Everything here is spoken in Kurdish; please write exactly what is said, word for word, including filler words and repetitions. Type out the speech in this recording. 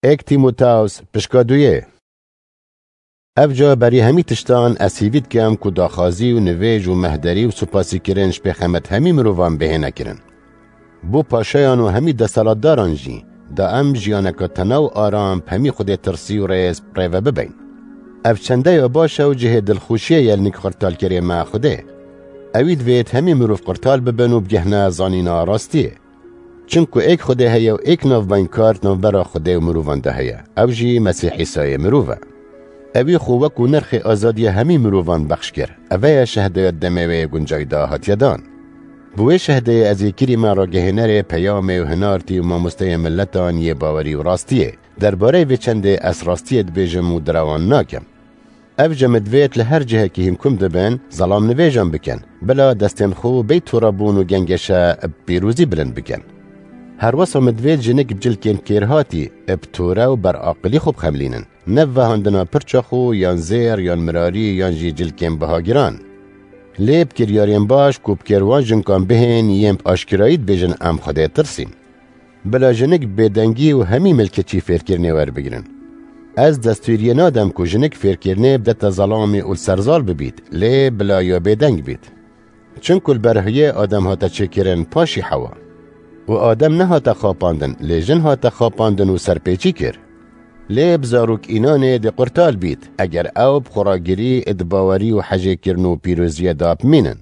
Êk Tîmoteos pişka duyê. Ev ca berî hemî tiştan ez hîvî dikim ku daxwazî û nivêj û mehderî û supasîkirin ji pêxemet hemî mirovan bihêne kirin. Bo paşayan û hemî desthilatdaran jî, da em jiyaneke tena û aram bi hemî Xwedê tirsî û rêz rêve bibeyn. Ev çendeya baş e û cihê dilxweşiyê ye li nik qirtalkerê me Xwedê. Ewî divêt hemî mirov qirtal bibin û bigihne zanîna rastiyê. Çimku êk Xwedê heye û êk navbeynkar di navbera Xwedê û mirovan de heye, ew jî Mesîh Îsayê mirov e. Ewî xwe wekû nirxê azadiya hemî mirovan bexş kir. Eve ye şehdeya demê wê guncay da hatiye dan. Bi wê şehdeyê ez ê kirî me ragihênerê peyamê û hinartî û mamosteyê miletan yê bawerî û rastiyê. Derbareyê vê çendê ez rastiyê dibêjim û direwan nakim. Ev jî min divêt li her cihekî hînkum dibin, zelamnivêjan bikin, bila destên xwe bêyî torabûn û gengeşe bi pîrozî bilind bikin. Her wesa min divêt jinik bi cilkên kêrhatî, bi tore û beraqilî xwe bixemilînin. Ne vehandina pirça xwe yan zêr yan mirarî yan jî cilkên bihagiran. Lê bi kiryarên baş ku bi kêr wan jinkan bihên yên bi aşkirayî dibêjin em Xwedê tirsîn. Bila jinik bi bêdengî û hemî milkeçî fêrkirinê werbigirin. Ez destûriyê nadim ku jinik fêrkirinê bidete zelamê û li ser zal bibît, lê bila ya bêdeng bît. Çimku li ber huyê Adem hate çêkirin paşî Hewa. Û Adem nehate xapandin, lê jin hate xapandin û serpêçî kir. Lê bi zarok înanê dê qurtal bît, eger ew bi xweragirî, di bawerî û hejêkirin û pîroziyê de bimînin.